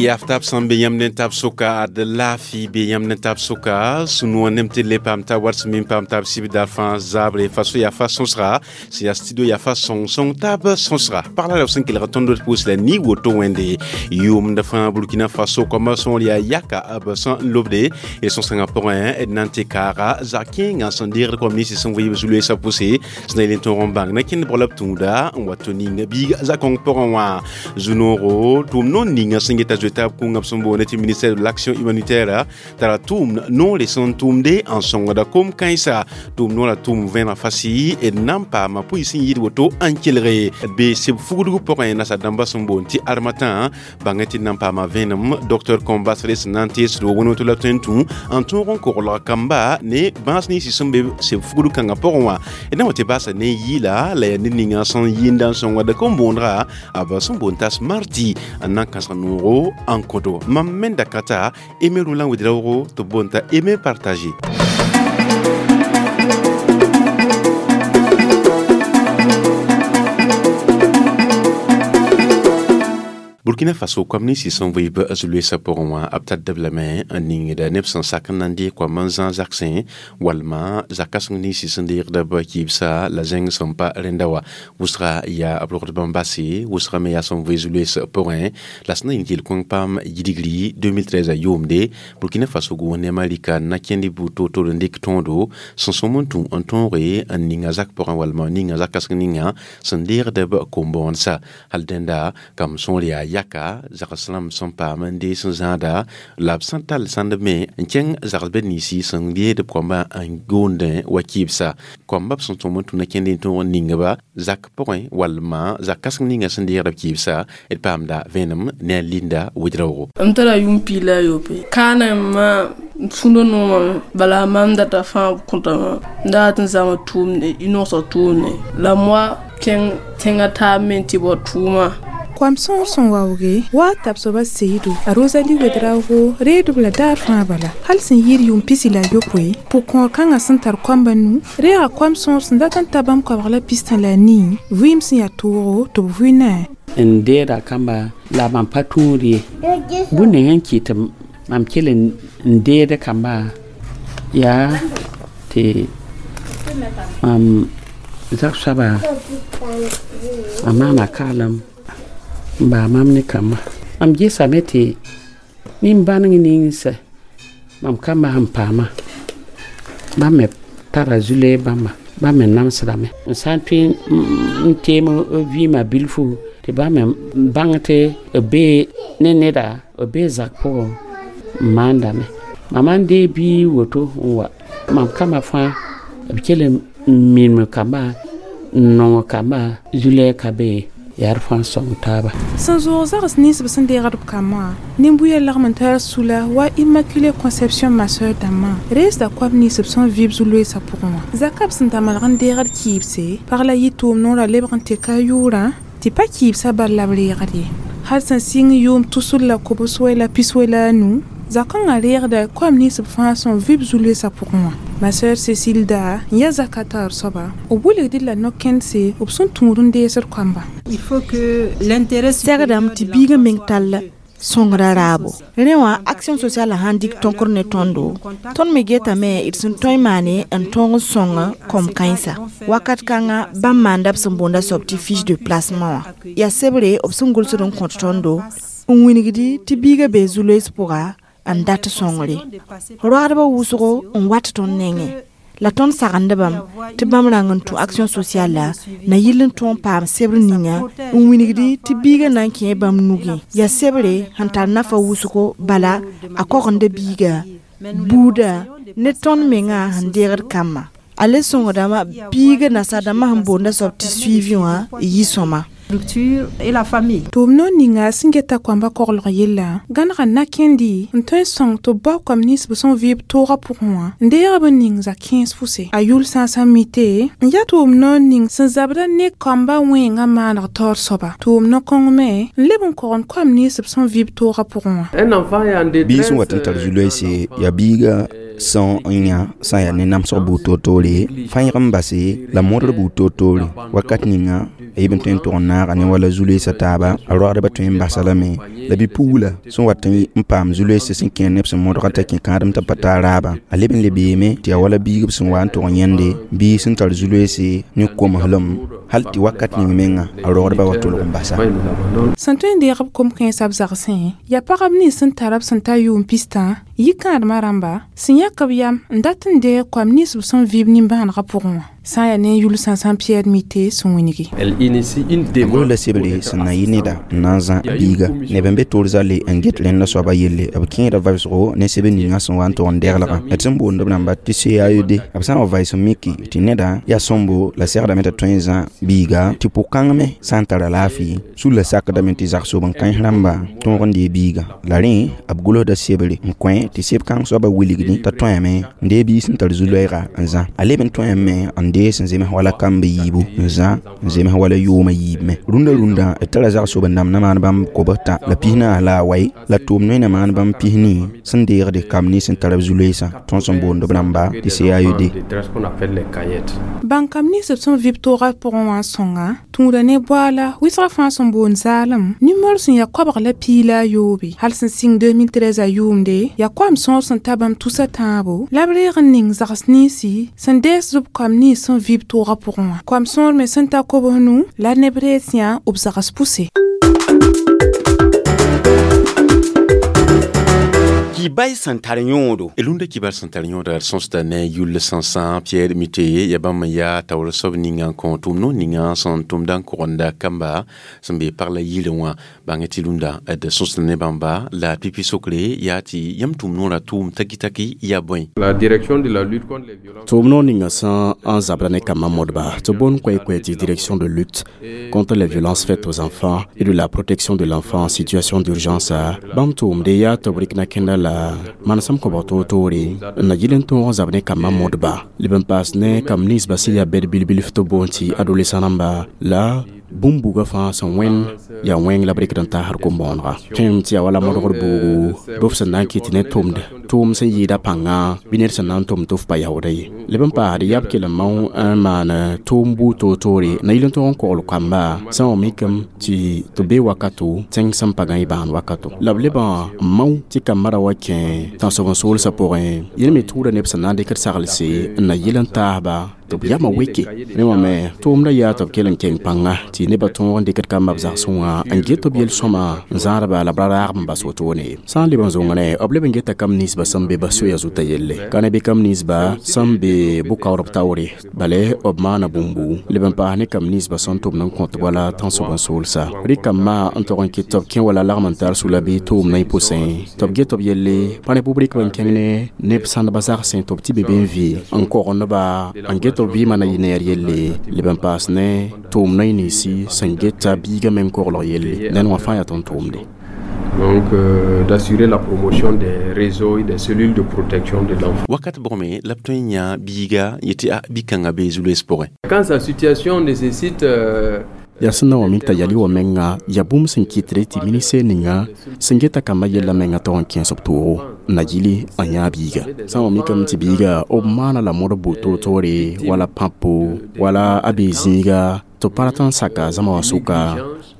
Yaftab sẽn be yãmb ne tab soka ad laafɩ be yãmb ne tab soka sũ-noog nem tɩ le paam tab wat sẽn me n paam tab sibdar fãa zabre fa so yaa fa sõsga sẽn yaa studio yaa fa sõng-sõng tab sõsga pagla la b sẽn kelg tõnd d pʋʋs la ni woto wẽnde yʋʋmd fãa Burkina Faso koambã sõor yaa yaka b sẽn lobde d sõs-kãngã pʋgẽ d na n tɩ kaaga zag kẽengã sẽn deegd koam ninsi sẽn vɩɩb zu-loeesã pʋse sẽn na yel n tõog n bãng na kẽnd bg la b tũuda n wa tɩ ning biiga zakõng pʋgẽ wã zu-noogo tʋʋm noor ninga sẽn geta zoe taab kũngã b sẽn boonde tɩ ministère de l'action humanitaire tara tʋʋm noore sẽn tʋʋmde n sõngda kom-kãensa tʋʋm noorã tʋʋm vẽeneg fasɩ d na n paama pʋɩ sẽn yɩɩd woto n kelge d bee seb fugdg pʋgẽ nasa-dãmbã sẽn boond tɩ armatã bãngẽ tɩ d na n paama vẽenem docteur Kõm-Basre sẽn na n teesdo wẽn-woto la tõe n tũ n tõog n koglg kamba ne bãas ninsi sẽn be seb fugdg kãngã pʋgẽ wã d na wa tɩ baasa ne yɩɩla la yaa ned ninga sẽn yɩɩnda n sõngda kom-boondga b sẽn boond t'a smarti n na n kãsg noogo n kõto mam me da ka t'a Aimé Roland Ouédraogo tɩ b boond t'a Aimé Partagé. Burkina Faso koam ninsi sẽn vɩɩb zu-loeesã pʋgẽ wã b tar lame n ningda neb sẽn sak n na n deeg koam n zã zagsẽ walma zak-kãseng ninsi sẽn deegda b kɩɩbsa la zẽng sẽn pa rẽnda wa wʋsga yaa b rogd bãmb base wʋsga me yaa sẽn vɩ zu-loees pʋgẽ la sẽn na yĩng yel-kõng paam yidgri 2013 yʋʋmde Burkina Faso gʋʋs ne Malika na kẽnd buud toor-toor n dɩk tõodo sẽn sõm n tũ n tõoge n ninga zak pʋgẽ walma ninga zak-kãseng ninga sẽn deegd b kom-bõonsa hal dẽnda kam sõor yaa yaka zags rãmb sẽn paam n dees n zãada la b sẽn tall sãndb me n kẽng zagsbd ninsi sẽn yeed b koambã n goondẽ wa kɩɩbsa koambã b sẽn tõm n tũ na kẽnd n tõog n ningba zak pʋgẽ walma zak kãseng ninga sẽn deegd b kɩɩbsa d paamda vẽenem ne a Linda Ouédraogo. M tara yʋʋm piig la a yopoe kaana ma sũndo noomame bala mam data fãa kõtame n dat n zãma tʋʋmde y nogsg tʋʋmde la moa kẽng tẽngã taab me n tɩ bao tʋʋma. Koam sõor sẽn waooge wa tab soaba Seyidu a Rosalie Ouédraogo reedb la daar fãa bala hal sẽn yɩɩd yʋʋm pisi la a yopoe pʋg-kõor kãngã sẽn tar koambã nu reega koam sõor sẽn dat n ta bãmb koabg la pistã la a nii vɩɩm sẽn yaa toogo tɩ b vʋɩ n deeda kamba la mam pa tũud ye bũmb ning n kɩt mam kell n deed kamba yaa tɩ mam zag soaba a maana kaalem n baa mam ne kamba mam gesame tɩ nin-bãneng ninsa mam kamba sẽn paama bãmb me tara zu-loees bãmba bãmb me namsdame n sã n tõe n teem b vɩɩmã bilfu tɩ bãmb me bãng tɩ b bee ne neda b bee zak pʋgẽ n maandame mam n deeg biig woto n wa mam kamba fãa b kell n minem kamba n nong kamba zu-loɛɛg ka be yaa d fãa sõng taaba. Sẽn zoog zags nins b sẽn deegd b kambã nin-buya lagm n tar sula wa Immaculée Conception ma sœur dãmbã reesda koab nins b sẽn vɩɩb zu-loeesã pʋgẽ wã zakã b sẽn da malg n deegd kɩɩbse pag la yɩ tʋʋm noorã lebg n tɩka a yʋʋrã tɩ pa kɩɩbsã bal la b reegd ye hal sẽn sɩng yʋʋm tusr la kobs wɛ la pis wɛ la a nu zakãngã reegda koam nins b fãa sẽn vɩb zu-loeesã pʋgẽ wã ma sœur Cécile da n yaa zaka taoor soaba b wilgd la no-kẽndse b sẽn tũud n deesd koamba. Il faut que l'intérêt Segdame tɩ biigã meng tall sõngrã raabo rẽ wã action sociale sãn dɩk tõkr ne tõndo tõnd me getame d sẽn tõe n maane n tõog n sõng kom-kãensã wakat kãngã bãmb maanda b sẽn boonda soab tɩ fiche de placement wã yaa sebre b sẽn gʋlsd n kõt tõndo n wilgdi tɩ biigã bee zu-loees pʋga n dat sõngre roagdbã wʋsgo n wat tõnd nengẽ la tõnd sagendbame tɩ bãmb rãng n tũ action sociale na yɩl n tõog n paam sebr ninga n wilgdi tɩ biigã na n kẽ bãmb nugẽ yaa sebre sẽn tar nafa wʋsgo bala a kogenda biiga buuda ne tõnd mengã sẽn deegd kambã a le sõngdame biigã nasadãmbã sẽn boonda soab tɩ suivi wã yɩ sõma. Structure et la famille. Tʋʋm noor ninga sẽn geta koambã koglg yella gãnega na-kẽndi n tõe n sõng tɩ b bao koam nins b sẽn vɩɩb toogã pʋgẽ wã n deeg b n ning zak-kẽes fʋse a yʋl sãasã mite n yaa tʋʋm noor ning sẽn zabda ne koambã wẽengã maaneg taoor soaba tʋʋm no-kõng me n leb n kogend koam nins b sẽn vɩɩb toogã pʋgẽ wã. Biig sẽn wat n tar zu-loeese yaa biiga sẽn n yã sã n yaa ne namsg buud toor-toore fãyg n base la modr buud toor-toore wakat ninga. A yib n tõe n tʋg n naaga ne wala zu-loeesã taaba a roagdbã tõe n basa lame la bi-pugla sẽn wat n paam zu-loeesã sẽn kẽer neb sẽn modga t'a kẽ kãadem t'a pa taa raabã a leb n le beeme tɩ yaa wala biig b sẽn wa n tʋg n yẽnde biig sẽn tar zu-loeese ne komslem hal tɩ wakat ning menga a rogdbã wa tʋlg n basa. Sẽn tõe n deeg b kom-kãensã b zagsẽ yaa pagb nins sẽn tar b sẽn ta yʋʋm pistã yikãadmã rãmba sẽn yãk b yam n dat n deeg koam nins b sẽn vɩɩb nimbãanegã pʋgẽ wã sã n yaa ne yʋl sãn Pierre Mite sẽn wĩnigi. A gʋls la sebre sẽn na yɩ neda n na n zã a biiga neb n be toor zale n get rẽnda soaba yelle b kẽeda vabsgo ne sebr ninga sẽn wa n tʋg n deglgã d sẽn boond b rãmba tɩ CAED b sã n wa vaɩs n miki tɩ neda yaa sõmbo la segdame t'a tõe n zã biiga tɩ pʋ-kãng me sã n tara laafɩ sulla sakdame tɩ zagsob n kãens rãmba tõog n dee biiga la rẽ b gʋlsda sebre n kõ tɩ seb-kãng soaba wilgdi t'a tõeme n dee biig sẽn tar zu-loɛɛga n zã a leb n tõeme n dee sẽn zems wala kamb yiibu n zã n zems wala yʋʋmã yiib me rũndã rũndã d tara zagsob n dãmb na maan bãmb kobs tã la pis naas la a wai la tʋʋm noe na maan bãmb pis-nii sẽn deegde kamb nins sẽn tar b zu-loeesã tõnd sẽn boond b rãmba tɩ CAED. Bãng kam nins b sẽn vɩ b toogã pʋgẽ wã n sõnga tũuda ne boaala wɩsgã fãa sẽn boond zaalem nimor sẽn yaa koabg la piig la a yoobe hal sẽn sɩng 2013 a yʋʋmde yaa koam sõor sẽn ta bãmb tusa tãabo la b reeg n ning zags ninsi sẽn dees b koam nins sẽn vɩ b toogã pʋgẽ wã koam sõor me sẽn ta kobs nu la neb rees yã b zags pʋse. Kibal sẽn tar yõodo. Rũndã kibal sẽn tar yõoda d sõsda ne yʋll sãnsã Pierre Mite ya bãmb n yaa taoor soab ninga n kõ tʋʋm-no ninga sẽn tʋmda n kogenda kamba sẽn be pag la yirẽ wã bãng tɩ rũndã d sõsda ne bãmba la pipi sokre yaa tɩ yãmb tʋʋm-noorã tʋʋm taki-taki yaa bõe. La direction de la lutte contre les violences. Tʋʋm-noor ninga sã n zabra ne kambã modba tɩ boond koɛ-koɛ tɩ direction de lutte contre les violences faites aux enfants et de la protection de l'enfant en situation d'urgence bãmb tʋʋmde yaa tɩ b rɩk na kẽnda la manesem kõbg toor-toore n na yɩl n tõog n zab ne kambã modba leb n paas ne kamb ninsbã sẽn yaa bɛd bil-bilf tɩ boond tɩ adolescent rãmba la bũmb buga fãa sẽn wẽnd yaa wẽng la b rɩkd n taasd kom-bõonega tõem tɩ yaa wala modgd buugu bɩ f sẽn na n kɩt ne tʋmd tʋʋm sẽn yɩɩda pãnga bɩ ned sẽn na n tʋm tɩ f pa yaooda ye leb n paasd yaa b kell n mao n maan tʋʋm buud toor-toore na yɩl n tõog n kogl kamba sã n wa mikame tɩ tɩ bee wakato tẽng sẽn pa gã y bãan wakato la b lebã n mao tɩ kambã ra wa kẽ tãnsoab-n-soolsã pʋgẽ yẽl me tʋʋda neb sẽn na n dɩkd saglse n na yɩl n taasba tɩ b yamã weke rẽ wã me tʋʋmdã yaa tɩ b kell n keng pãnga tɩ nebã tõog n dɩkd kambã b zagsẽ wã n get b yel-sõma n zãadba la b ra raagb n bas wotone sã n leb n zõngre b leb n geta kamb ninsbã sẽn be ba soya zutã yelle ka ne bɩ kamb ninsba sẽn be bʋ-kaoodb taoore bale b maana bũmbu leb n paas ne kamb ninsbã sẽn tʋmd n kõt wala tãnsoab-n-soolsa rɩk kambã n tog n kɩt tɩ b kẽ wala lagm n tar sula bɩ tʋʋm na y pʋsẽ tɩ b get b yelle pa ne bʋ-b rɩk b n kẽng ne neb sãndbã zagsẽ tɩ b tɩ be be n vɩ n kogndba n get b vɩɩmã na yɩ neer yelle leb n paas ne tʋʋm na y ninsi sẽn geta biigã meng koglg yelle ned wã fãa yaa tõnd tʋʋmde. Donc d'assurer la promotion des réseaux et des cellules de protection de l'enfant. Wakat bʋgme la b tõe n yã biiga yetɩ a bi-kãngã bee zu-loees pʋgẽ. Quand sa situation nécessite yaa sẽn na wa mik t'a yal y wa menga yaa bũmb sẽn kɩtre tɩ ministɛr ninga sẽn geta kambã yellã menga tog n kẽes b toogo n na yɩli n yã biiga sã n wa mikame tɩ biiga b maana la modb buud toor-toore wala pãpo wala a bee zĩiga tɩ b pa rat n saka zãma wã sʋka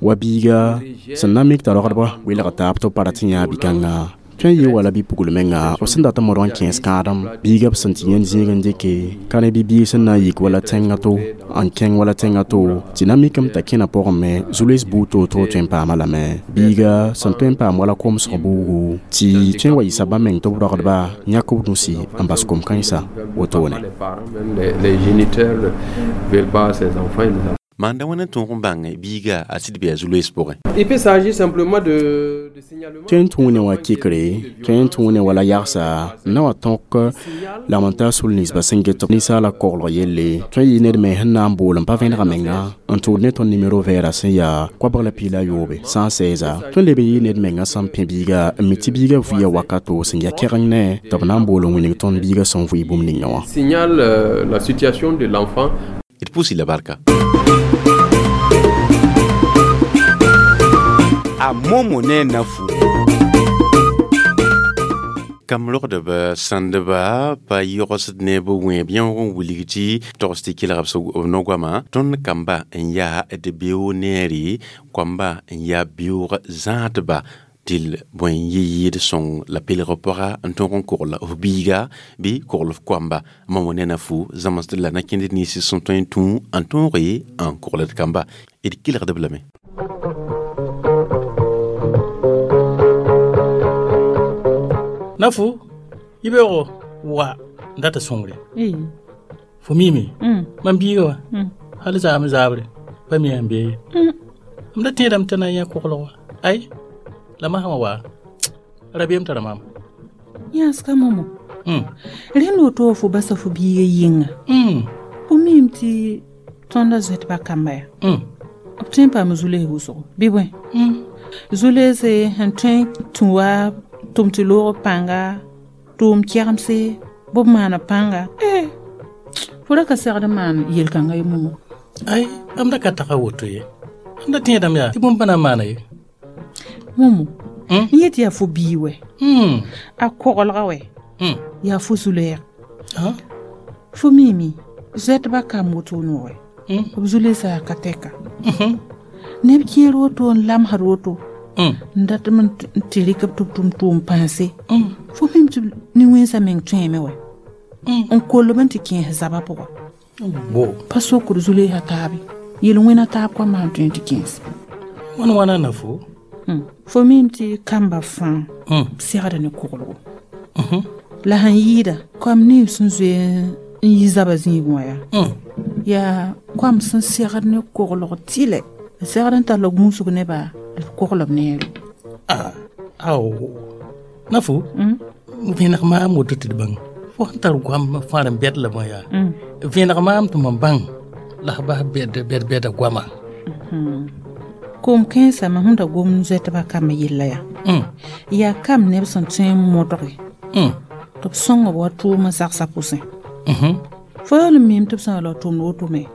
wa biiga sẽn na n mik t'a rogdbã welg taab tɩ b pa rat n yã bi-kãnga tõe n yɩ wala bi-pugl menga b sẽn dat n modg n kẽes kãadem biiga b sẽn tɩ yẽnd zĩig n dɩke ka ne bi-biig sẽn na n yik wala tẽngã to n kẽng wala tẽngã to tɩ na mikame t'a kẽna pʋgẽ me zu-loees buud toor-toor tõe n paama lame biiga sẽn tõe n paam wala komsg buugu tɩ tõe n wa yɩsa bãmb meng tɩ b rogdba yãk b nusi n bas kom-kãensã wotone. Les géniteurs veulent pas ces enfants, ils Maanda wãna n tõog n bãng biiga a sɩd bɩ a zu-loees pʋgẽ. Il peut s'agir simplement de signalement. Tõe n tũu ne wã kɩkre tõe n tũu ne wala yagsa n na wa tõk lagm n tar sul ninsbã sẽn get ninsaala koglg yelle tõe n yɩ ned me sẽn na n bool n pa vẽnega menga n tʋʋd ne tõnd nimero vɛɛra sẽn yaa koabg la piig la yoobe 116 tõe n leb n yɩ ned menga sẽn pẽ biiga n mi tɩ biiga vʋɩa wakato sẽn yaa kɛgeng ne tɩ b na n bool n wilg tõnd biiga sẽn vʋɩ bũmb ninga wã. Signale la situation de l'enfant. D pʋʋs la barka. A momo ne nafu. Kam rogdb sãndba pa yogsd ne b wẽeb yẽoog n wilg tɩ togs tɩ kelg b no-goamã. Tõnd kamba n yaa d beoog neere, koamba n yaa beoog zãadba, tɩl bõe n yɩ yɩɩd sõng la pelg pʋga n tõog n kogl f biiga bɩ kogl f koamba. Mamo ne na fu zãmsd la na kẽnd nins sẽn tõe n tũ n tõoge n kogld kamba. D kelgd-b lame. Nafu, yibeoogo wa n dat sõngre. Fo miime, mam biiga wa hal zaam zaabre pa mi n bee ye. M da tẽedame tɩ na n yã koglg wa. Ay, la masã wã wa rabeem tara maam. Yãsga momo. Rẽnd woto fo basa fo biiga yɩnga. Fo miime tɩ tõndã zoetba kamba yaa. B tõe n paam zu-lees wʋsgo bɩ bõe? Zu-leese sẽn tõe tũ wa tʋm tɩ loog pãnga, tʋʋm kɛgemse, bɩ b maana pãnga. Fo ra ka segd n maan yel-kãngã ye momo. Ay, m da ka taga woto ye. M da tẽedame yaa tɩ bũmb pa na n maana ye. Momo, n yet yaa fo bii wɛ. A koglga wɛ. Yaa fo zu-lɛɛg. Fo miime, zoɛtba kamb woto noogɛ. B zu-leesã yaa ka tɛka. Neb kẽer woto n lamsd woto. N dat n tɩ rɩk b tɩ b tʋm tʋʋm pãnse. Fo mim tɩ nin-wẽnsã meng tõeme wɛ. N koll-b n tɩ kẽes zabã pʋgã. Pa sokd zu-leesã taabe. Yel-wẽna taab koambã sẽn tõe n tɩ kẽes. Wãn wãna na fo? Fo mim tɩ kamba fãa segda ne koglgo. La sẽn yɩɩda koam nins sẽn zoe n yi zabã zĩigẽ wã yaa. Yaa koam sẽn segd ne koglg tɩlɛ. Segd n tall gũusg nebã d kogl b neere. Ao, Nafu, vẽneg maam woto tɩ d bãng. Fo sẽn tar goam fãa n bɛd la bõe yaa. Vẽneg maam tɩ mam bãng la f bas bɛd bɛda goamã. Koom kãensã mam sẽn da gom zoɛtbã kambã yella yaa. Yaa kam neb sẽn tõe n modge tɩ b sõng b wa tʋʋmã zagsã pʋsẽ. Fo yaool n miime tɩ b sã n la tʋmd woto me,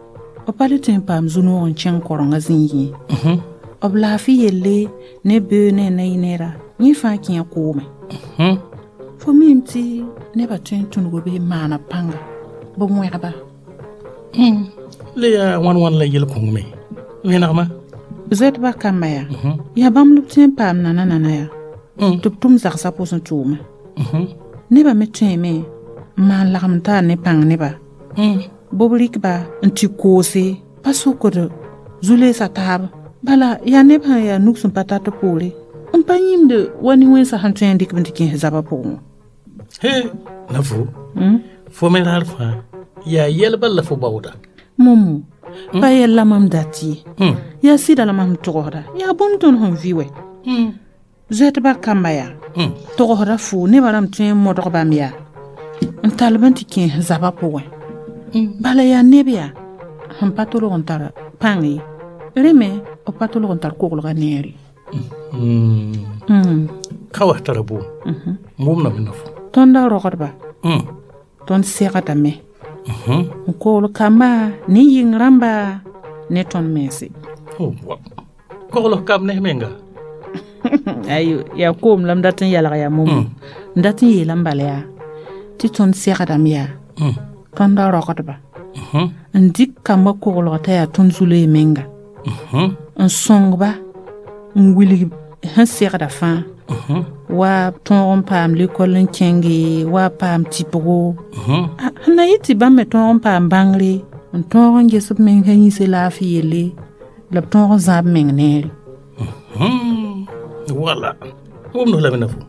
b pa le tõe n paam zu-noog n kẽng korengã zĩigẽ ye. B laafɩ yelle ne beoog ne a na-yɩ neera, yẽ fãa kẽe koome. Fo miime tɩ nebã tõe n tũnugo bɩ n maana pãnga, bɩ wẽgba. Le yaa wãn wãn la yel-kõng me? Vẽnegmã? Zoɛtbã kambã yaa. Yaa bãmb la b tõe n paam nana nana yaa. Tɩ b tʋm zagsã pʋsẽ tʋʋmã. Nebã me tõeme n maan lagem taar ne pãng nebã. Bɩ b rɩk-ba n tɩ koose, pa sokd zu-leesã taab. Bala yaa neb sẽn yaa nug sẽn pa tat poore n pa yĩmd wa nin-wẽnsã sẽn tõe n dɩk b n tɩ kẽes zabã pʋgẽ wã. He, Nafu, fo me raar fãa yaa yɛl bal la fo baooda. Momo, pa yɛl la mam dat ye. Yaa sɩda la mam togsda. Yaa bũmb tõnd sẽn vɩ wɛ. Zoɛtbã kamba yaa. Togsda fo nebã rãmb tõe n modg bãmb yaa. N tall b n tɩ kẽes zabã pʋgẽ. Bala yaa neb yaa sẽn pa tolg n tar pãng ye. Rẽ me b pa tolg n tar koglgã neere. Ka wa tara boom. M wʋmdame na fo. Tõndã rogdba. Tõnd segdame. N kogl kamba ne yɩng rãmba ne tõnd mense. Kogl kamb ne menga. Ayo, yaa koom la m dat n yalg yaa momo. N dat n yeelame bala yaa tɩ tõnd segdame yaa. Tõndã rogdba. N dɩk kambã koglg t'a yaa tõnd zu-loe menga. N sõngba n wilg sẽn segda fãa. Wa tõog n paam lekol n kẽnge, wa paam tɩpgo. Sẽn na yɩ tɩ bãmb me tõog n paam bãngre, n tõog n ges b meng sã yĩse laafɩ yelle, la b tõog n zãab meng neere. Wala. Wʋmd lame na fo.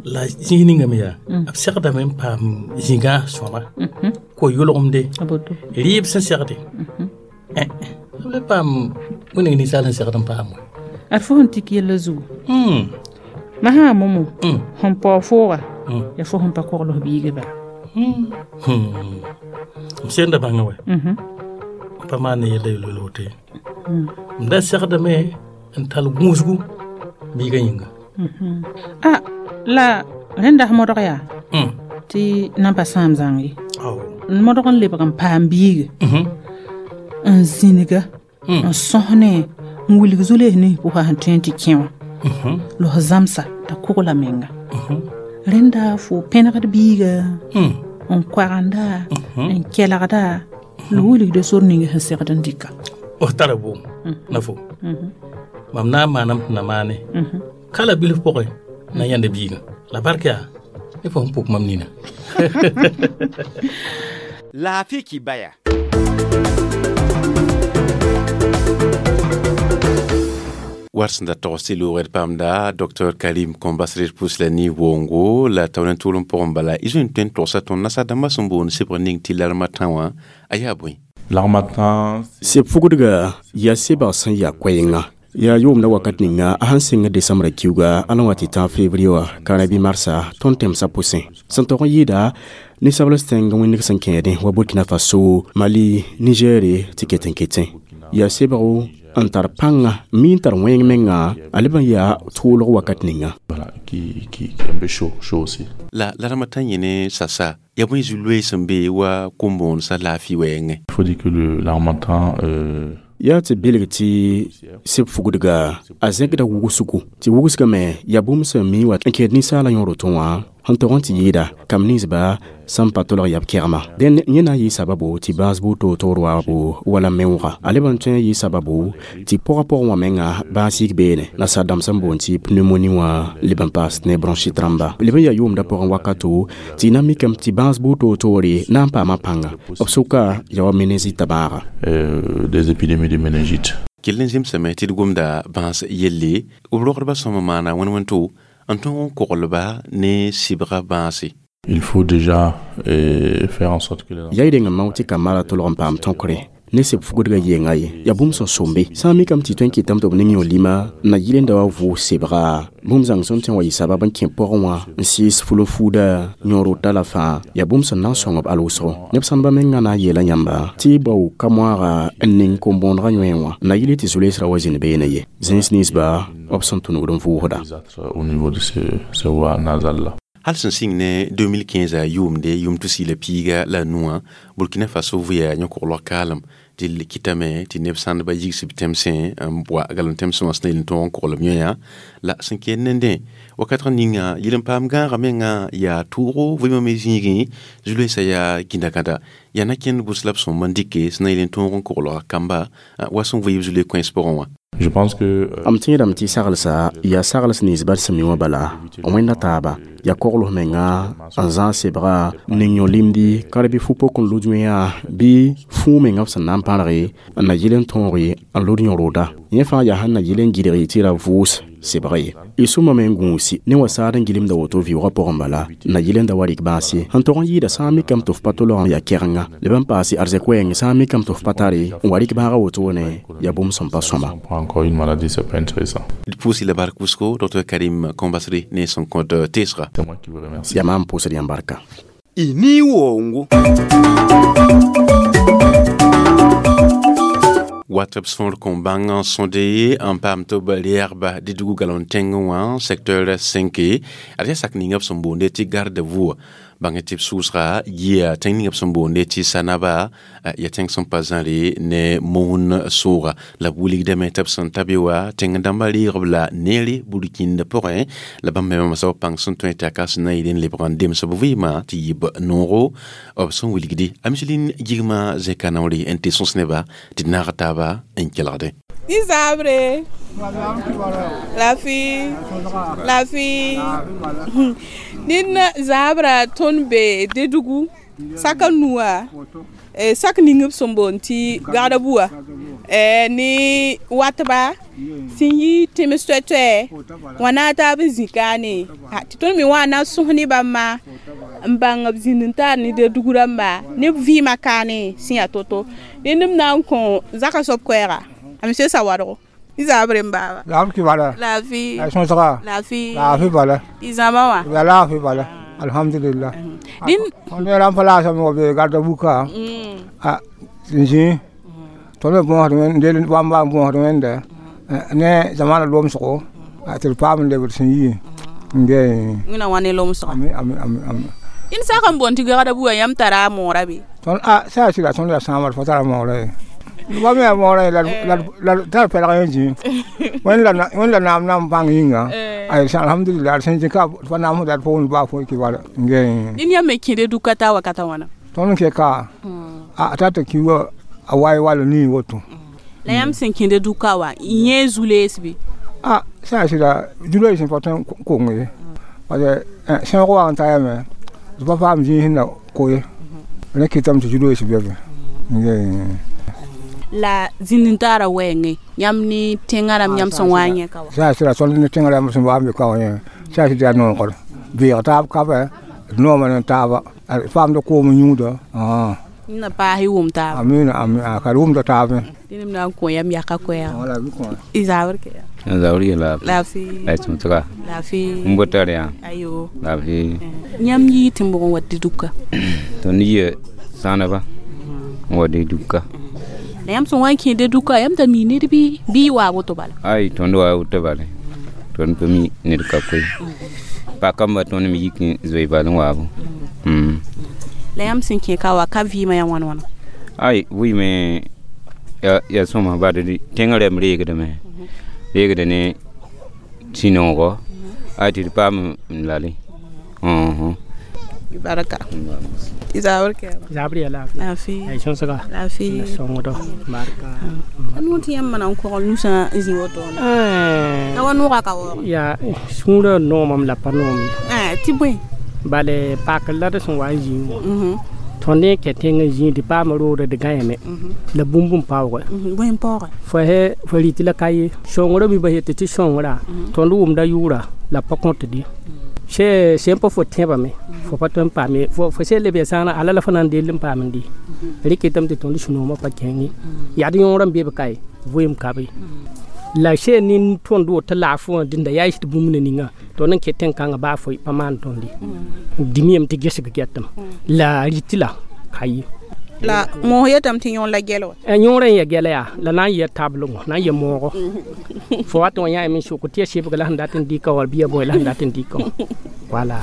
La zĩig ninga me yaa, b segdame n paam zĩgã sõma. Ko-yʋlgemde. Rɩɩb sẽn segde. B le paam wẽneg ninsaal sẽn segd n paam wã. Ad fo sẽn tik yella zugu. Masã momo, sẽn paoog fooga, yaa fo sẽn pa kogl f biigã bala. M senda bãngã wɛ. M pa maan ne yella yel-wel woto ye. M da segdame n tall gũusgu biigã yĩnga. A la rẽnda f modg yaa tɩ nan pa sãam zãng ye. N modg n lebg n paam biiga. N zĩniga, n sõs ne, n wilg zu-lees nins pʋgã sẽn tõe n tɩ kẽ wã. La f zãmsa t'a kogla menga. Rẽnda fo pẽnegd biiga n koagenda n kelgda la wilgda sor ning sẽn segd n dɩka. O tara bʋʋm na fo mam na n maanam tɩ na maane ka la bilf pʋgẽ na yãnda biigã la bark yaa ne fo sẽn pʋk mam nina. Laafɩ kibaya. War sẽn da togs tɩ loogd paamda Dr Karim Kombasre pʋs la ne wongo la taoor n tʋʋlem pʋgẽ bala y zoe n tõe n togsa tõnd nasaar-dãmbã sẽn boond sebg ning tɩ larmatã wã a yaa bõe? L'harmattan, Seb fugdga yaa sebg sẽn yaa koɛɛnga yaa yʋʋmda wakat ninga a sãn sɩng desãmbrã kiuga a la wa tɩ tãag fevrier wã kãra bɩ marsa tõnd tẽmsã pʋsẽ sẽn tog n yɩɩda ninsabls tẽng wẽndg sẽn kẽedẽ wa Burkina Faso, Mali, Nigɛre tɩ ket n ketẽ yaa sebgo n tar pãnga mi n tar wẽng menga a leb n yaa tʋʋlg wakat ninga. Voilà, qui est un peu chaud, chaud aussi. La larmatã yẽ ne sasa yaa bõe zu-loees sẽn be wa kom-bõonesã laafɩ wɛɛngẽ? Il faut dire que l'harmattan yaa tɩ belg tɩ seb fugdga a zẽkda wʋgsgo tɩ wʋgsga me yaa bũmb sẽn mi wa n kẽed ninsaalã yõor woto wã sẽn tog n tɩ yɩɩda kam ninsba sẽn pa tolg yab kɛgma dẽn yẽ na n yɩ sababu tɩ bãas buud toor-toor waabo wala meoogã a leb n tõe n yɩ sababu tɩ pʋgã pʋgẽ wã menga bãas yik beene nasaar-dãmb sẽn boond tɩ pneumonie wã leb n paas ne bronchite rãmba leb n yaa yʋʋmda pʋgẽ wakato tɩ na mikame tɩ bãas buud toor-toore na n paama pãnga b sʋka yaa wa meningite bãaga. Des épidémies de méningite. Kell n zemsame tɩ d gomda bãas yelle b rogdbã sõma maana wẽn-wẽnto n tõog n koglba ne sɩbga bãase. Il faut déjà faire en sorte que les yaa y reng n mao tɩ kambã ra tolg n paam tõkre ne seb fugdga yenga ye yaa bũmb sẽn sombe sã n mikame tɩ tõe n kɩtame tɩ b ning yõ lima n na yɩlenda wa vʋʋs sebga bũmb zãng sẽn tõe n wa yɩ sabab n kẽ pʋgẽ wã n sɩɩs ful-n-fuuda yõor-rota la fãa yaa bũmb sẽn na n sõng b al wʋsgo neb sãndbã mengã na n yeela yãmba tɩ y bao ka-moaaga n ning kom-bõonegã yõe wã n na yɩl tɩ zu-loeesrã wa zĩnd beene ye zẽns ninsba b sẽn tũnugd n vʋʋsda. Au niveau de ce voie nasale-là. Hal sẽn sɩng ne 2015 a yʋʋmde yʋʋm tʋ-sɩɩla piiga la nuwã Burkina Faso vʋya yõ-koglg kaalem tɩ kɩtame tɩ neb sãndbã yigs b tẽmsẽ n wa galem tẽmsẽ wã sẽn na yel n tõog n kogl b yõya la sẽn kẽed nendẽ wakat ninga yɩl n paam gãagã menga yaa tʋʋgo vɩɩmã me zĩigẽ zu-loeesã yaa gĩnda-gãda yaa na kẽnd bʋs la b sõmb n dɩke sẽn na yel n tõog n koglga kamba wa sẽn vɩɩb zu-loe kõens pʋgẽ wã. Je pense que M tẽedame tɩ saglsa yaa sagls nins bal sẽn mi wã bala wẽnda taaba yaa kogls menga n zãag sebga n ning yõ limdi ka bɩ fu-pok n lud yõeã bɩ fũu menga b sẽn na n pãrge n na yɩl n tõoge n lud yõroda yẽ fãa yaa sẽn na yɩl n gɩdg tɩ ra vʋʋs sebg ye y sũma me n gũusi ne wa saad n gɩlemda woto vɩʋʋgã pʋgẽ bala n na yɩl n da wa rɩk bãas ye sẽn tog n yɩɩda sã n mikame tɩ f pa tolg n yaa kɛgenga leb n paase arzɛk wɛɛng sã n mikame tɩ f pa tare n wa rɩk bãaga wotone yaa bũmb sẽn pa sõma. Encore une maladie, c'est pas intéressant. D pʋʋsɩ la bark wʋsgo Dr Karim Kombasre ne sẽn kõt teesga. C'est moi qui vous remercie. Yaa maam pʋʋsd yãmb barka. Y ni wongo. Wat b sõor kõn bãng n sõde n paam tɩ b reɛgba dɩdgu galon tẽngẽ wã secteur 5 ad yaa sak ninga b sẽn boonde tɩ garde-vous bãng tɩ b sʋʋsga yia tẽng ninga b sẽn boonde tɩ Sanaba yaa tẽng sẽn pa zãre ne moon sʋʋga la b wilgdame tɩ b sẽn ta be wa tẽng dãmbã reeg b la neere burkĩnd pʋgẽ la bãmb me mamsa b pãng sẽn tõe tɩ a ka sẽn na yɩl n lebg n dems b vɩɩmã tɩ yɩ b noogo b sẽn wilgde a miselin gigmã zẽka naoore n tɩ sõs neba tɩ d naag taaba n kelgde. Ni zabre. Lafi. Lafi. Nin zabra tõnd be Dedugu saka nuwa sak ning b sẽn boond tɩ gagda bua ne watba sẽn yi tẽms toɛ-toɛ wã na n taab n zĩ kaane tɩ tõnd me wã na n sõs ne bãmba n bãng b zĩnd n taar ne Dedugu rãmba ne b vɩɩmã kaane sẽn yaa to-to rẽnd m na n kõ zaka soab koɛɛga a monsieur Sawadgo. Ni zabre n baaba. Laaf ki bala. Lafi. La sõsga. Lafi. Laafi bala. Y zãma wã. Ya laafi bala. Alhamdulillah. Din tõnd ne rãmb fa laasame wa be garda buka a sẽn zĩ tõnd me bõosd wẽnd bãmba n bõosd wẽnda ne zamana lomsgo tɩ d paam n lebd sẽn yi n ge wẽna wã ne lomsga. Ami ami ami ami. Dĩnd sak n boond tɩ gagda bua yãmb tara a moora be? Tõnd a sã sɩda tõnd yaa sãamd fa tara moora ye. Wa me mo ra la la ta pe la yẽn wẽnd la naam nam bãng yĩnga ay alhamdulillah sẽn zĩ ka fa naam dat pʋgẽ baa fo ki wala nge Nin yãmb me kẽde duka t'a wakata wãna? Tõnd n ke ka a ta tɩ ki wa a waay wala nii woto. La yãmb sẽn kẽde duka wã, yẽ zu-lees bɩ? A sã n sɩda zu-loees sẽn pa tõe n kong ye, parce que sẽoog wa n ta yame d pa paam zĩig sẽn na ko ye, rẽ kɩtame tɩ zu-loees be be. La zĩnd-n-taarã wɛɛngẽ, yãmb ne tẽngã rãmb yãmb sẽn wa n yẽ ka wã? Sã n sɩda tõnd ne tẽngã rãmb sẽn wa n be ka wã yẽ, sã n sɩd yaa noogr beeg taab kabɛ, d nooma ne taaba, paamda koom n yũuda. Na paas y wʋm taaba. Amina, amina, ka d wʋmda taab. Dẽnem na n kõ yam yaka koɛɛga. Y zabr ke ya? Zabr ye laafɩ. Laafɩ. La sõsga. Laafɩ. N bota rẽ. Ayo. Laafɩ. Yãmb yii tɩ n bʋg n wa dɩ duka? Tõnd yia sãneba n wa dɩ duka. La yãmb sẽn wa n kẽede duka, yãmb da mi ned bɩ bɩ y waa woto bala? Ay, tõnd waa woto bala. Tõnd pa mi ned ka koe. Pakamba tõnd me yik n zoe bal n waabo. La yãmb sẽn kẽ ka wa, ka vɩɩmã yaa wãn wãna? Ay, vɩɩmẽ yaa sõma bad tẽngã rɛm reegdame. Reegda ne sũ-noogo. Ay, tɩ d paam n lale. Baraka. Zabr ke? Zabr ya laafɩ. Laafɩ. Ay sõsga. Laafɩ. Sõngdo. Barka. A noor tɩ yãmb mana n kogl nusã n zĩ woto la wa noogã ka waoog? Yaa sũurã noomame la pa noom ye. Tɩ bõe? Bale pakr la d sẽn wa n zĩig wã, tõnd n kɛ tẽng n zĩig tɩ paam roogd d gãeeme la bũmb n paoogɛ. Bõe n paoogɛ? Fo rɩtɩ la ka ye sõngrã mi ba yetɩ tɩ sõngrã tõnd wʋmda yʋʋra la pa kõtd ye. Sẽn pa fo tẽebame fo pa tõe n paam ye, fo sẽn leb ya sãana ala la fo na n dell n paam n dɩ rɩ kɩtame tɩ tõnd sũ-noomã pa kẽng ye, yaa d yõorã n be b ka ye vɩɩm ka be la sẽn nin tõnd woto laafɩ wã dĩnda yaa tɩ bũmb na ninga tõnd n ket tẽn-kãngã baa fo pa maan tõnd ye dĩmiyame tɩ gesg gɛtame la rɩtɩ la ka ye. La moos yetame tɩ yõor la gɛl wa? Yõorã n ya gɛla yaa la na n yɛ tablgo na n yɛ moogo fo wat n wa yã yame n sʋk tɩ ya sebga la sẽn dat n dɩka wala bɩ ya bõe la sẽn dat n dɩka wã wala.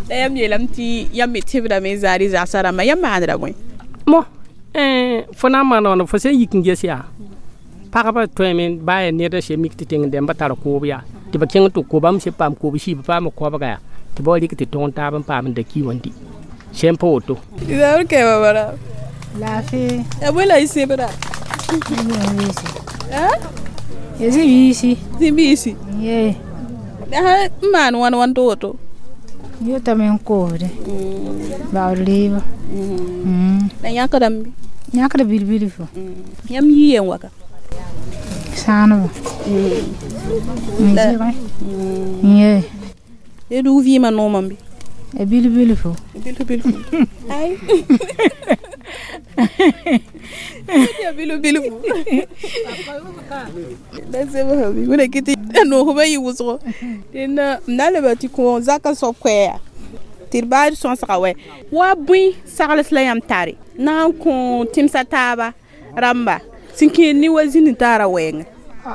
La yãmb yeelame tɩ yãmb me tẽbdame n zaad y zagsã rãmbã, yãmb maandra bõe? Mo fo na n maana wãna fo sẽn yik n ges yaa pagba tõeme baa yaa ned n se mik tɩ tẽng dẽmba tar koob yaa tɩ ba kẽng tɩ kobame se paam koob siib paam koabga yaa tɩ ba wa rɩk tɩ tõog taab n paam n da ki wã n dɩ sẽn pa woto. Zabr ke babara? Laafɩ. Ya bõe la y sebra? Ya zĩ-biisi. Zĩ-biisi? Ye. La sã n maan wãn wãn tɩ woto? Yetame n koosde baood reeba. La yãkdame bɩ? Yãkd bil-bilfu. Yãmb yii yen waka? Sãaneba. N zɩgẽ. Ye. Ya dug vɩɩmã noomame bɩ? Ya bil-bilfu. Bil-bilfu. Ay. Ya bilu-bilfu. La sebga bɩ wẽna kɩ tɩ noosmã yɩ wʋsgo. Dẽnda m na n leba tɩ kõ zakã soab koɛɛga tɩ d baa d sõsga wɛ wa bõe sagls la yãmb tare na n kõ tẽmsã taaba rãmba sẽn kẽed ne wa zĩnd-n-taarã wɛɛngẽ?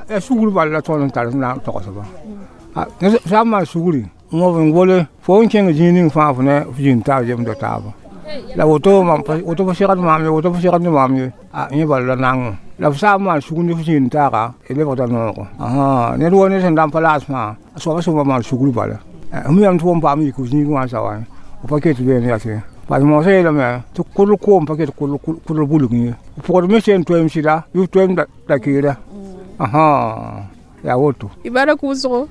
Ya sugr bal la tõnd n tar sẽn na n togsba. Sã n maan sugri n wa n gole fo n kẽng zĩig ning fãa fo ne f zĩnd taab zemda taaba la woto woto fo segd maam ye, woto fo segd ne maam ye, a yẽ bal la nangẽ la f sã n maan sugr ne f zĩnd taaga d lebgda noogo. Ned wa ned sẽn da n pa laas fãa a soaba sẽn wa maan sugr bala f yam tɩ fo n paam yik f zĩig wã n sa wa f pa ket beene yaa tɩ parce que moosã yeelame tɩ kʋdl koom pa ket kʋdl bulg ye, f pʋgd me sẽn toeem sɩda bɩ f toeem da keera yaa woto. Y bark wʋsgo.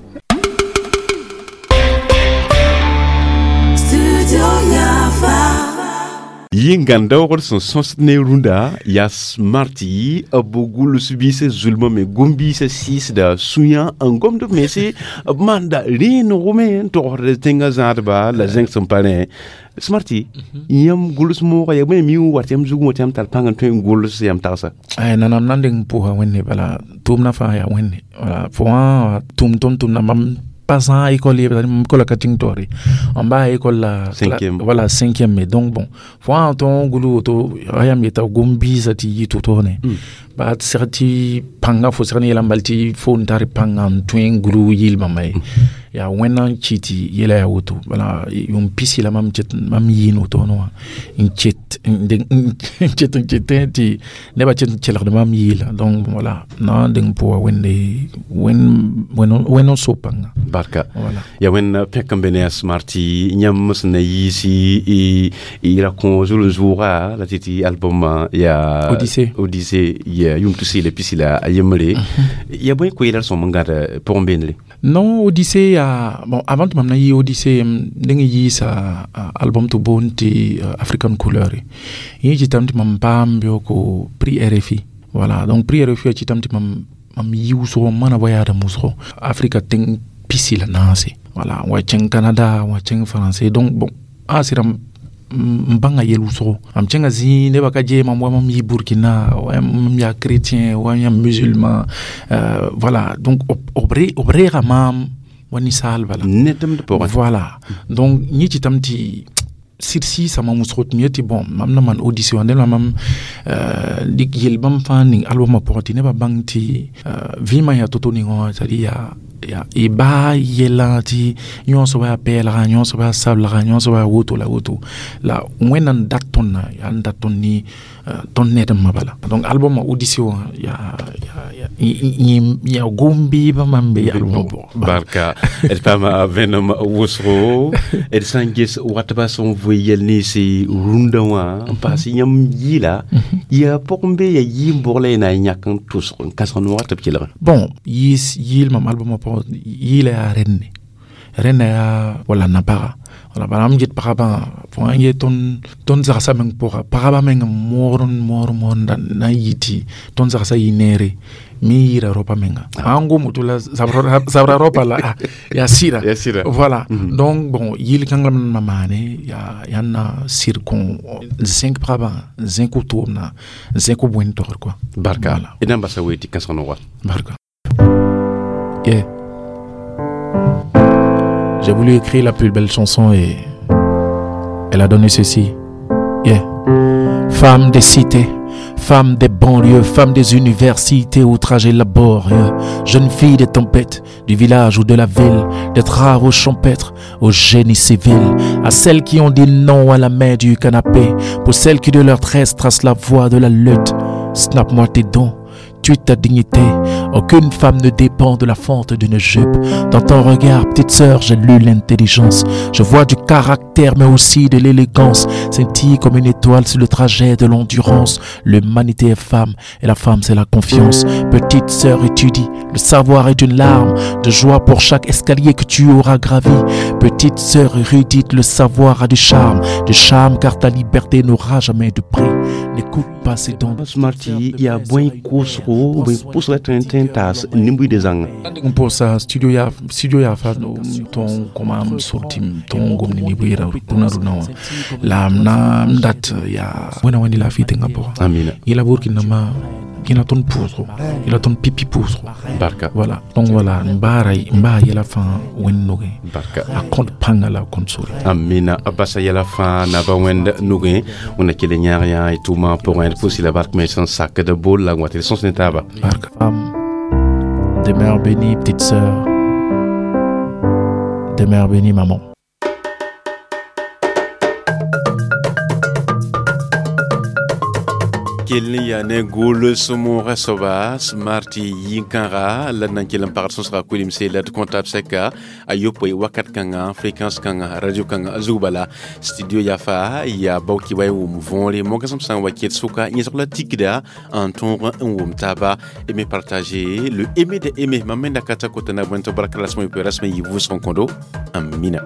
Yĩngãn-daoogd sẽn sõsd ne rũndã yaa smarti b gʋls biisã zulmã me gom-biisã sɩɩsda sũyã n gomd b mense b maanda rẽenego me n togsd tẽngã zãadba la zẽng sẽn pa rẽ. Smarti, yãmb gʋls moogã yaa bõe mi n wat yãmb zugẽ wã tɩ yãmb tar pãng n tõe n gʋls yãmb tagsa? Ay nanam na n deng n pʋʋsa Wẽnde bala tʋʋmdã fãa yaa Wẽnde wala fo wã tʋm tõnd tʋmda mam passant à école école ka ting tori en bas école la cinquième, voilà cinquième. Mais donc bon fo wã tõn gulu woto ayam yeta gom biisã tɩ yɩ to-to ne. Ba seg tɩ pãngã fo seg ne yɛla n bal tɩ fo n tar pãngã n tõe n gru yɩl bãmba ye. Yaa wẽnna n kɩ tɩ yɛla yaa woto. Bala yʋʋm pisi la mam ket mam yɩɩn woto wã n ket n ket n ketẽ tɩ nebã ket n kelgd mam yɩɩla. Donc voilà, na n deng pʋga wẽnde wẽnd n so pãnga. Barka. Voilà. Ya wẽnd pẽk n be ne a smarti yãmb sẽn na yiisi y ra kõ zuln-zʋʋga la tɩ tɩ album ya Odyssée. Odyssée ya yʋʋm tusi la pisi la a yembre. Ya bõe koeelr sõm n gãd pʋgẽ beendre? Non, Odyssée ya bon, avant tɩ mam na yɩ Odyssée, m deng yiisa album tɩ boond tɩ African Couleur. Yẽ kɩtame tɩ mam paam beooko prix RFI. Voilà, donc prix RFI a kɩtame tɩ mam yi wʋsgo, m maana voyage wʋsgo Afrika tẽng pisi la naase. Voilà, n wa kẽng Canada, n wa kẽng Français. Donc bon, a sɩda n bãnga yɛl wʋsgo. Mam kẽnga zĩig nebã ka gee mam wa mam yi Burkina, wa mam yaa chrétien, wa yãmb musulman. Voilà, donc b reega maam wa ninsaal bala. Voilà, donc yẽ kɩtame tɩ sɩd sɩɩsa mam wʋsgo tɩ m yetɩ bon, mam na maan Odyssée wã dẽn la mam dɩk yel bãmb fãa ning albumã pʋgẽ tɩ nebã bãng tɩ vɩɩmã yaa to-to ningã wã, c'est à dire yaa y baa yɛlã tɩ yõ soaba yaa pɛɛlga, yõ soaba yaa sablega, yõ soaba yaa woto la woto la Wẽnnaam n dat tõndã yaa n dat tõnd ne tõnd ned-n-mã bala. Donc albumã Odyssée wã yaa yaa gom-beebã mam be albumã pʋgẽ. Barka. D paama vẽenem wʋsgo d sã n ges watba sẽn voe yɛl ninsi rũndã wã n paas yãmb yɩɩla yaa pʋgẽ be yaa yɩɩm-bʋg la y na n yãk n tʋsg n kãsg noogã tɩ b kelge. Bon, yiis yɩɩl mam albumã pʋgẽ yɩɩla yaa rẽnne, rẽnna yaa wala na-paga. Wala bala m get pagabã fo sã n ye tõnd zagsã meng pʋga, pagabã meng n moor n moor moor na n yɩ tɩ tõnd zagsã yɩ neere me yɩɩra raopã menga. Sã n gom woto la zabra raopã la yaa sɩda. Voilà, donc bon, yɩl kãng la m na maane yaa n na sɩd kõ n zẽk pagabã, n zẽk wʋtʋʋmdã, n zẽk b wẽnd togr quoi. Barka. D na n basa wee tɩ kãsg noga. Barka. Yeah. J'ai voulu écrire la plus belle chanson et elle a donné ceci. Yeah. Femme des cités, femme des banlieues, femme des universités au trajet laborieux, jeune fille des tempêtes, du village ou de la ville, des travaux champêtres au génie civil, à celles qui ont dit non à la main du canapé, pour celles qui de leur tresse tracent la voie de la lutte. Snap-moi tes dons, tue ta dignité. Aucune femme ne dépend de la fente d'une jupe. Dans ton regard, petite sœur, j'ai lu l'intelligence. Je vois du caractère, mais aussi de l'élégance. Scintille comme une étoile sur le trajet de l'endurance. L'humanité est femme, et la femme, c'est la confiance. Petite sœur, étudie. Le savoir est une larme de joie pour chaque escalier que tu auras gravi. Petite sœur érudite, le savoir a du charme. Du charme, car ta liberté n'aura jamais de prix. N'écoute pas ces dons. Smarty, yaa bõe koosgo bõe pʋsga tõe n tõe n taas nin-buiidã zãnga? N pʋʋsa studio yaa fa tõn koma m sorti tõn gom ne neb rũnã rũnã wã la m na n dat yaa wẽna wẽnd laafɩ tẽngã pʋgã. Amina. Yẽla burkina yẽla tõnd pʋʋsgo, yẽla tõnd pipi pʋʋsgo. Barka. Voilà, donc voilà, n baara n baa yɛla fãa wẽnd nogẽ. Barka. A kõt pãnga la a kõt sore. Amina. A basa yɛla fãa naba wẽnd nugẽ wẽnna kell n yãag yã y tʋʋmã pʋgẽ d pʋʋs la bark me sẽn sakd bol la n wa tɩ d sõs ne taaba. Barka. Femme, demeure bénie, petite sœur. Demeure bénie, maman. Kell n yaa ne gol sõmoogã soaba smartɩ yĩn-kãga la d na n kell n pagd sõsga kolimse la d kõta b sɛka a yopoe wakat kãngã, fréquence kãngã, radio kãngã zug bala studio yafa yaa baoki wa y wʋm võore mogasem sã n wa ket sʋka yẽsg la tikda n tõog n wʋm taaba. Aimer, partager, le aimer de aimer. Mam me da ka ta kota na bõe tɩ barka rasmã yopoe rasmã yɩ vʋʋsg n kõdo. Amina.